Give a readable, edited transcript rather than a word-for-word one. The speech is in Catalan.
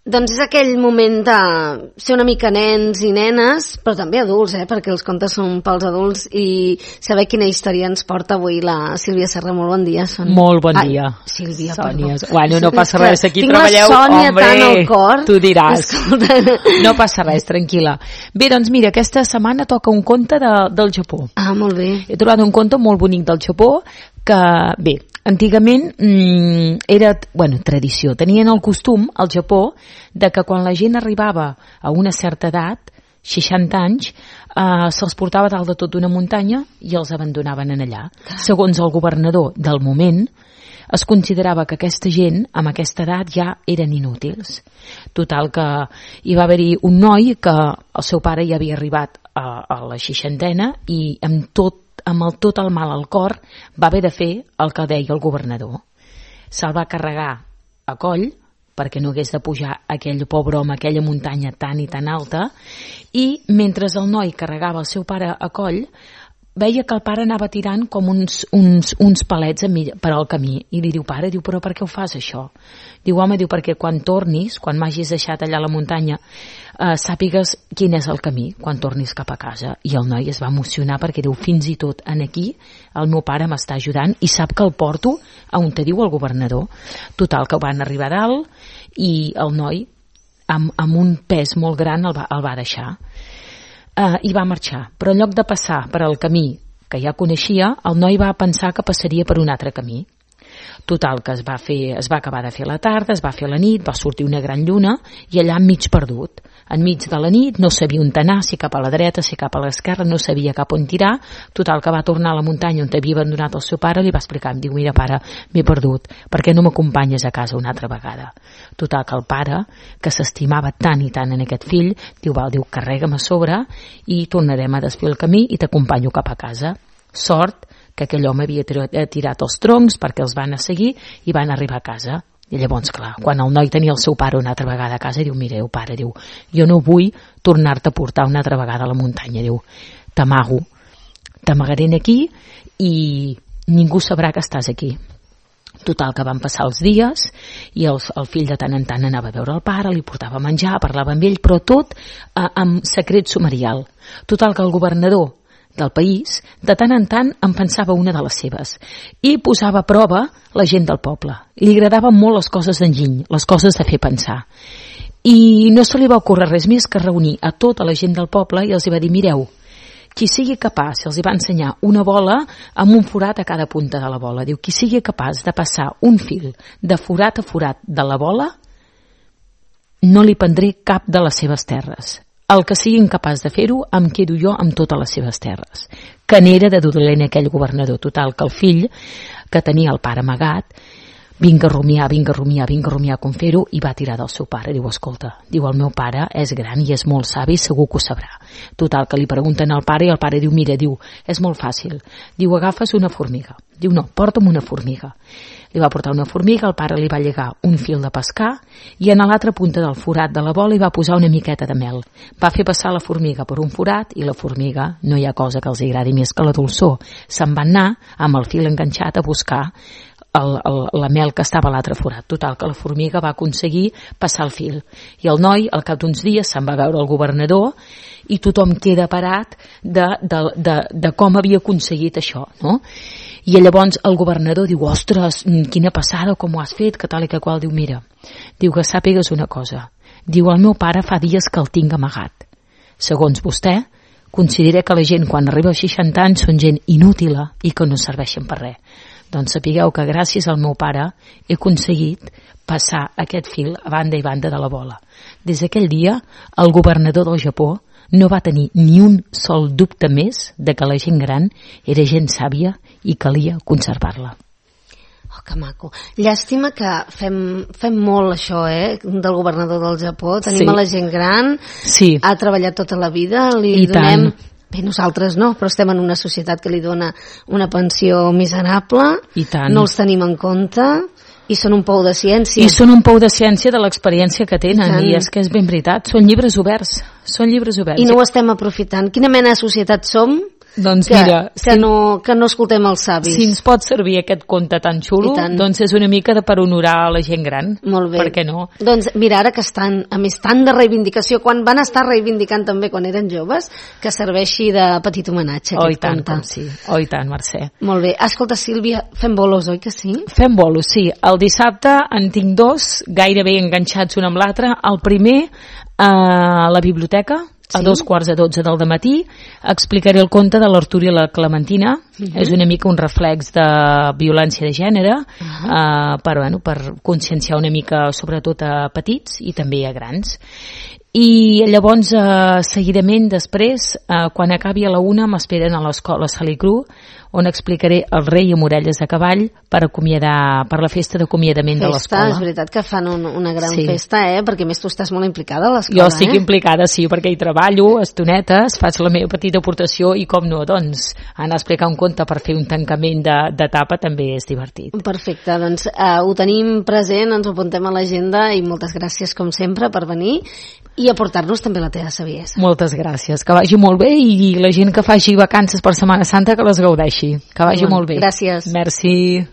Doncs és aquell moment de ser una mica nens i nenes, però també adults, perquè els contes són pels adults, i saber quina història ens porta avui la Sílvia Serra. Molt bon dia, Sònia. Molt bon dia. Sílvia, Sònia. perdó. Bueno, no passa res, aquí tinc treballeu. Tinc la Sònia hombre, tant al cor. Tu diràs. Escolta. No passa res, tranquil·la. Bé, doncs mira, aquesta setmana toca un conte del Japó. Ah, molt bé. He trobat un conte molt bonic del Japó que, bé, antigament era, tradició. Tenien el costum, al Japó, de que quan la gent arribava a una certa edat, 60 anys, se'ls portava dalt de tot d'una muntanya i els abandonaven en allà. Segons el governador del moment, es considerava que aquesta gent, amb aquesta edat, ja eren inútils. Total, que hi va haver-hi un noi que el seu pare ja havia arribat a la 60ena i amb tot el mal al cor va haver de fer el que deia el governador. Se'l va carregar a coll perquè no hagués de pujar aquell pobre home, aquella muntanya tan i tan alta, i mentre el noi carregava el seu pare a coll, veia que el pare anava tirant com uns palets per al camí, i li diu, pare, però per què ho fas això? Diu, home, perquè quan tornis, quan m'hagis deixat allà a la muntanya, sàpigues quin és el camí quan tornis cap a casa. I el noi es va emocionar perquè diu, fins i tot en aquí el meu pare m'està ajudant i sap que el porto a on te diu el governador. Total, que van arribar a dalt i el noi amb un pes molt gran el va deixar i va marxar, però en lloc de passar per al camí que ja coneixia, el noi va pensar que passaria per un altre camí. Total, que es va acabar de fer la tarda, es va fer la nit, va sortir una gran lluna i allà mig perdut. Enmig de la nit no sabia on anar, si cap a la dreta, si cap a l'esquerra, no sabia cap on tirar. Total, que va tornar a la muntanya on havia abandonat el seu pare, li va explicar, em diu, mira pare, m'he perdut, per què no m'acompanyes a casa una altra vegada? Total, que el pare, que s'estimava tant i tant en aquest fill, diu, carrega'm a sobre i tornarem a desfer el camí i t'acompanyo cap a casa. Sort que aquell home havia tirat els troncs perquè els van a seguir i van arribar a casa. I llavors, clar, quan el noi tenia el seu pare una altra vegada a casa, diu, mireu, pare, diu, jo no vull tornar-te a portar una altra vegada a la muntanya, diu, t'amagaré aquí i ningú sabrà que estàs aquí. Total, que van passar els dies i el fill de tant en tant anava a veure el pare, li portava menjar, parlava amb ell, però tot amb secret sumarial. Total, que el governador del país, de tant en tant en pensava una de les seves i posava a prova la gent del poble. I li agradaven molt les coses d'enginy, les coses de fer pensar. I no se li va ocórrer res més que reunir a tota la gent del poble i els va dir, mireu, qui sigui capaç, els va ensenyar una bola amb un forat a cada punta de la bola. Diu, qui sigui capaç de passar un fil de forat a forat de la bola, no li prendré cap de les seves terres. El que sigui incapaç de fer-ho, em quedo jo amb totes les seves terres. Que n'era de dolent aquell governador. Total, que el fill, que tenia el pare amagat, vinga a rumiar com fer-ho, i va tirar del seu pare. Diu, escolta, el meu pare és gran i és molt savi, segur que ho sabrà. Total, que li pregunten al pare i el pare diu, mira, és molt fàcil. Diu, agafes una formiga. Diu, no, porta'm una formiga. Li va portar una formiga, el pare li va llegar un fil de pescar i en l'altra punta del forat de la bola hi va posar una miqueta de mel. Va fer passar la formiga per un forat i la formiga, no hi ha cosa que els agradi més que la dolçor, se'n va anar amb el fil enganxat a buscar la mel que estava a l'altre forat. Total, que la formiga va aconseguir passar el fil. I el noi, al cap d'uns dies, se'n va veure el governador i tothom queda parat de com havia aconseguit això, no? I llavors el governador diu, ostres, quina passada, com ho has fet, que tal i que qual. Diu, mira, diu, que sàpigues una cosa. Diu, el meu pare fa dies que el tinc amagat. Segons vostè, considera que la gent quan arriba als 60 anys són gent inútil i que no serveixen per res. Doncs sapigueu que gràcies al meu pare he aconseguit passar aquest fil a banda i banda de la bola. Des d'aquell dia, el governador del Japó no va tenir ni un sol dubte més de que la gent gran era gent sàvia i calia conservar-la. Oh, que maco. Llàstima que fem molt això, del governador del Japó. Tenim a la gent gran, ha treballat tota la vida, li donem... Bé, nosaltres no, però estem en una societat que li dona una pensió miserable, no els tenim en compte i són un pou de ciència. I són un pou de ciència de l'experiència que tenen, i és que és ben veritat, són llibres oberts. I no ho estem aprofitant. Quina mena de societat som Doncs mira, que no escoltem els savis. Si ens pot servir aquest conte tan xulo, doncs és una mica per honorar la gent gran. Molt bé. Per què no? Doncs mira, ara que estan, a més, tant de reivindicació, quan van estar reivindicant també quan eren joves, que serveixi de petit homenatge. Oh, i tant, com sí. Oh, i tant, Mercè. Molt bé. Escolta, Sílvia, fem bolos, oi que sí? Fem bolos, sí. El dissabte en tinc 2, gairebé enganxats un amb l'altre. El primer, a la biblioteca, a 2:15 del dematí, explicaré el conte de l'Artur i la Clementina. És una mica un reflex de violència de gènere, per conscienciar una mica sobretot a petits i també a grans. I llavors, seguidament, després, quan acabi a la 1, m'esperen a l'escola Salicru, on explicaré El rei amb orelles de cavall per la festa d'acomiadament de l'escola. És veritat que fan una gran festa, perquè a més tu estàs molt implicada a l'escola. Jo estic implicada, sí, perquè hi treballo estonetes, faig la meva petita aportació i com no, doncs, anar a explicar un conte per fer un tancament d'etapa també és divertit. Perfecte, doncs ho tenim present, ens ho apuntem a l'agenda i moltes gràcies com sempre per venir i aportar-nos també la teva saviesa. Moltes gràcies, que vagi molt bé i la gent que faci vacances per Setmana Santa que les gaudeixi. Que vagi molt bé. Gràcies. Merci.